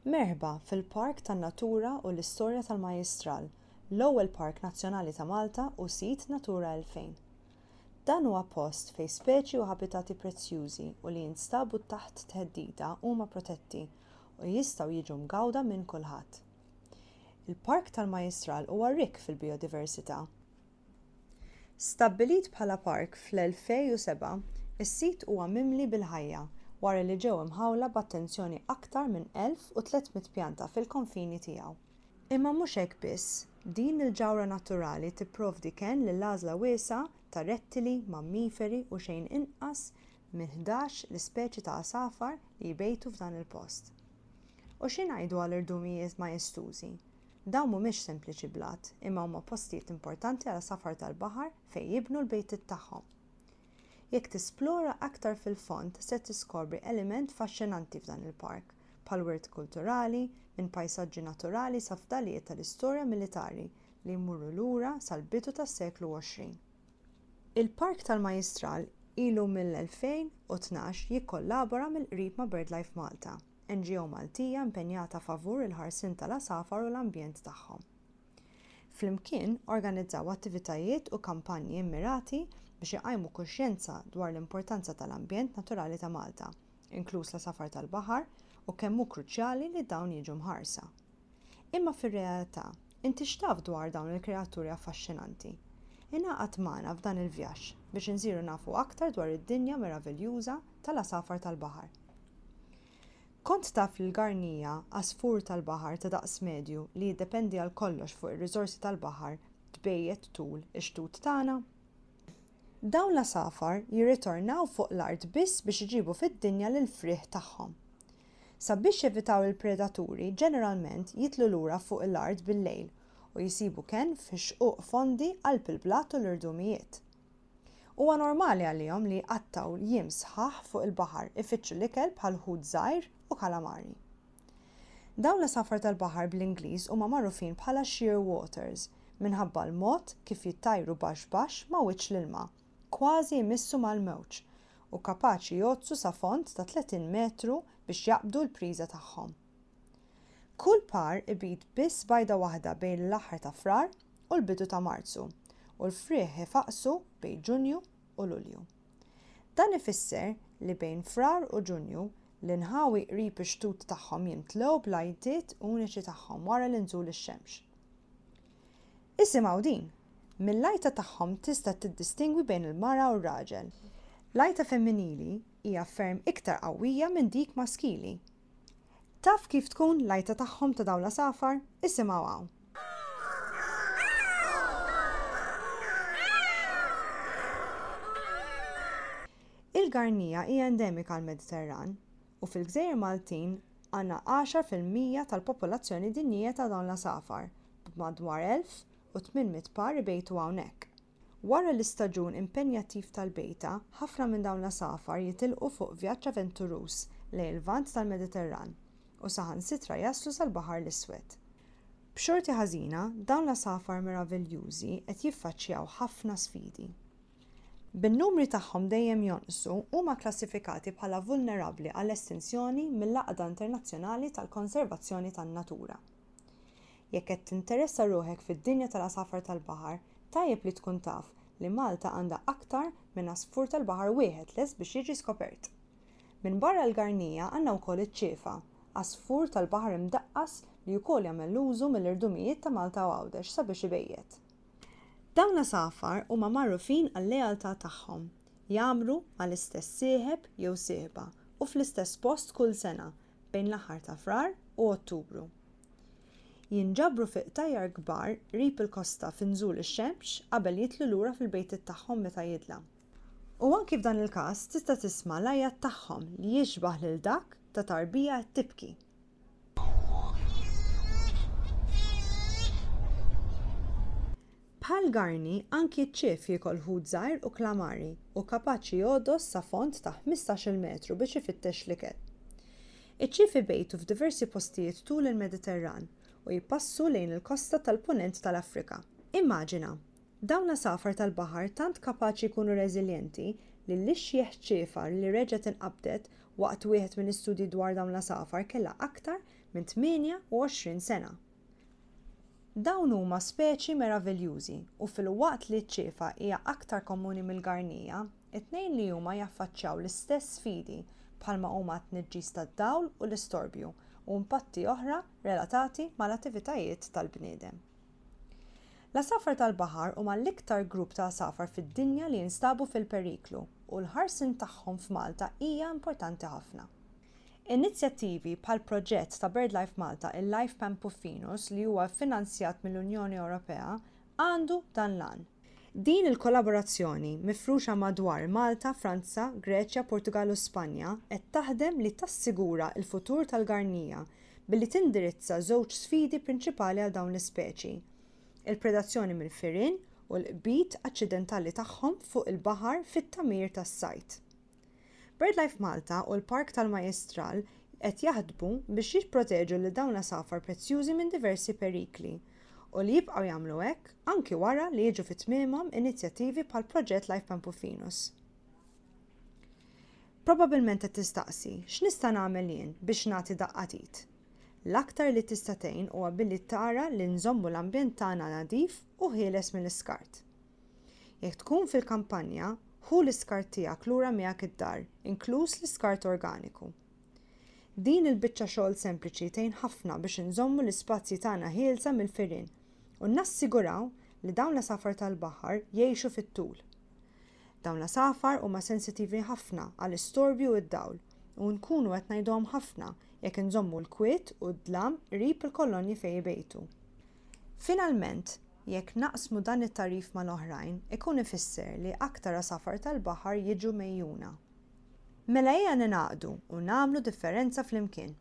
Merħba fil-Park tan-Natura u l-Istorja tal-Majjistral, l-ewwel park nazzjonali ta' Malta u sit Natura 2000. Dan huwa post fejn speċi u ħabitati prezzjużi u li jinstabu taħt theddida huma protetti u jistgħu jiġu mgawda minn kulħadd. Il-Park tal-Majjistral huwa rikk fil-bijodiversità. Stabbilit bħala park fl-2007, is-sit huwa mimli bil-ħajja wara li ġew imħawla b'attenzjoni aktar minn 1,300 pjanta fil-konfini tiegħu. Imma mhux hekk biss, din il-ġawhra naturali tipprovdi kenn lil għażla wiesgħa ta' rettili, mammiferi u xejn inqas minn 11 l-ispeċi ta' għasafar li jbejtu f'dan il-post. U xi ngħidu għal irdumijiet majestużi? Dawn mhumiex sempliċi blat, imma huma postijiet importanti għal għasafar tal-baħar fejn jibnu l-bejtiet tagħhom. Jekk tisplora aktar fil-fond se tiskopri element faxxinanti f'dan il-park, bħal wirt kulturali, minn pajsaġġi naturali sa fdalijiet tal-istorja militari li jmorru lura sal-bidu tas-seklu 20. Il-Park tal-Majjistral ilu mill-2012 jikkollabora mill-qrib ma' BirdLife Malta. NGO Maltija impenjata favur il-ħarsien tal-għasafar u l-ambjent tagħhom. Flimkien organizzaw attivitajiet u kampanji mmirati biex iqajmu kuxjenza dwar l-importanza tal-ambjent naturali ta' Malta, inkluż l-għasafar tal-baħar u kemm hu kruċjali li dawn jiġu mħarsa. Imma fir-realtà, inti x'taf dwar dawn il-kreaturi affaxxinanti? Ingħaqad magħna f'dan il-vjaġġ biex insiru nafu aktar dwar id-dinja meraviljuża tal-għasafar tal-baħar. Kont taf li l-garnija, għasfur tal-baħar ta' daqs medju li jiddependi għal kollox fuq ir-riżorsi tal-baħar, tbejjet tul ix-xtut tagħna? Dawn l-għasafar jirritornaw fuq l-art biss biex iġibu fid-dinja lill-frieħ tagħhom. Sabiex jevitaw il-predaturi, ġeneralment jitlu lura fuq l-art bil-lejl u jsibu kenn fi xquq fondi qalb il-blat u l-irdumijiet. Huwa normali għalihom li jqattgħu jiem sħaħ fuq il-baħar ifittxu l-ikel bħal ħut żgħir u kalamari. Dawn l-għasafar tal-baħar bl-Ingliż huma magħrufin bħala shearwaters minħabba l-mod kif jittajru baxx baxx ma' wiċċ l-ilma, kważi jmissu mal-mewġ, u kapaċi jgħoddsu sa fond ta' 30 metru biex jaqbdu l-priża tagħhom. Kull par ibid biss bajda waħda bejn l-aħħar ta' Frar u l-bidu ta' Marzu, u l-frieħ ifaqqsu bejn Ġunju u Lulju. Dan ifisser li bejn Frar u Ġunju, l-inħawi qrib ix-xtut tagħhom jimtlew bl-għajtiet uniċi tagħhom wara l-inżul ix-xemx. Isimgħu din! Mill-għajta tagħhom tista' tiddistingwi bejn il-mara u r-raġel. L-għajta femminili hija ferm iktar qawwija minn dik maskili. Taf kif tkun l-għajta tagħhom ta' dawn l-għasafar? Isimgħu hawn. Il-garnija hija endemika għall-Mediterran u fil-gżejjer Maltin għandna 10% tal-popolazzjoni dinjija ta' dawn l-għasafar, b'madwar 1,800 par ibejtu hawnhekk. Wara l-istaġun impenjattiv tal-bejta, ħafna minn dawn l-għasafar jitilqu fuq vjaġġ avventuruż lejn il-Lvant tal-Mediterran u saħansitra jaslu sal-Baħar l-Iswed. B'xorti ħażina, dawn l-għasafar meraviljużi qed jiffaċċjaw ħafna sfidi. Bin-numri tagħhom dejjem jonqsu, huma kklassifikati bħala vulnerabbli għall-estinzjoni mill-Għaqda Internazzjonali tal-Konservazzjoni tan-Natura. Jekk qed tinteressa ruħek fid-dinja tal-għasafar tal-baħar, tajjeb li tkun taf li Malta għandha aktar minn għasfur tal-baħar wieħed lest biex jiġi skopert. Minbarra l-garnija għandna wkoll iċ-ċiefa, għasfur tal-baħar imdaqqas li wkoll jagħmel użu mill-irdumijiet ta' Malta u Għawdex sabiex ibejjet. Dawn l-għasafar huma magħrufin għal-lealtà tagħhom, jgħammru mal-istess sieħeb jew sieħba u fl-istess post kull sena, bejn l-aħħar ta' Frar u Ottubru. Jinġabru fi qtajjar kbar qrib il-kosta fi nżul ix-xemx qabel jidħlu lura fil-bejtiet tagħhom meta jidlam. U anki f'dan il-każ tista' tisma' l-għajat tagħhom li jixbah lil dak ta' tarbija qed tibki. Bħal Garni, anki ċ-ċief jiekol ħut żgħir u klamari u kapaċi jogħdos sa fond ta' 15-il metru biex ifittex l-ikel. Iċ-ċief ibejtu f'diversi postijiet tul il-Mediterran u jpassu lejn il-kosta tal-Punent tal-Afrika. Immaġina, dawn l-għasafar tal-baħar tant kapaċi jkunu reżiljenti li l-ixjeħ ċiefa li reġgħet inqabdet waqt wieħed mill-istudji dwar dawn l-għasafar kellha aktar. minn 28 sena. Dawn huma speċi meraviljużi u filwaqt li ċ-ċiefa hija aktar komuni mill-garnija, it-tnejn li huma jaffaċċjaw l-istess sfidi bħalma huma t-tniġġis tad-dawl u l-istorbju u impatti oħra relatati mal-attivitajiet tal-bniedem. L-għasafar tal-baħar huma l-iktar grupp ta' għasafar fid-dinja li jinstabu fil-periklu u l-ħarsien tagħhom f'Malta hija importanti ħafna. Inizjattivi bħall-proġett ta' BirdLife Malta il-Life Pampuffinus li huwa ffinanzjat mill-Unjoni Ewropea għandu dan l-għan. Din il-kollaborazzjoni mifruxa madwar Malta, Franza, Greċja, Portugall u Spanja qed taħdem li tassigura l-futur tal-garnija billi tindirizza żewġ sfidi prinċipali għal dawn l-ispeċi, il-predazzjoni mill-firien u l-qbid aċċidentali tagħhom fuq il-baħar fit-tagħmir tas-sajd. BirdLife Malta u l-Park tal-Majjistral qed jaħdmu biex jipproteġu lil dawn l-għasafar prezzjużi minn diversi perikli u li jibqgħu jagħmlu hekk anki wara li jiġu fi tmiemhom inizjattivi bħall-proġett Life Pampuffinus. Probabbilment qed tistaqsi, x'nista' nagħmel jien biex nagħti daqqa t'id? L-aktar li tista' tgħin huwa billi tara li nżommu l-ambjent tagħna nadif u ħieles mill-iskart. Jekk tkun fil-kampanja, ħu l-iskart tiegħek lura miegħek id-dar, inkluż l-iskart organiku. Din il-biċċa xogħol sempliċi tgħin ħafna biex inżommu l-ispazji tagħna ħielsa mill-firien u nassiguraw li dawn l-għasafar tal-baħar jgħixu fit-tul. Dawn l-għasafar huma sensittivi ħafna għall-istorbju u d-dawl u nkunu qed ngħiduhom ħafna jekk inżommu l-kwiet u d-dlam qrib il-kolonji fejn ibejtu. Finalment, jekk naqsmu dan it-tagħrif mal-oħrajn, ikun ifisser li aktar għasafar tal-baħar jiġu megħjuna. Mela ejja ningħaqdu u nagħmlu differenza flimkien!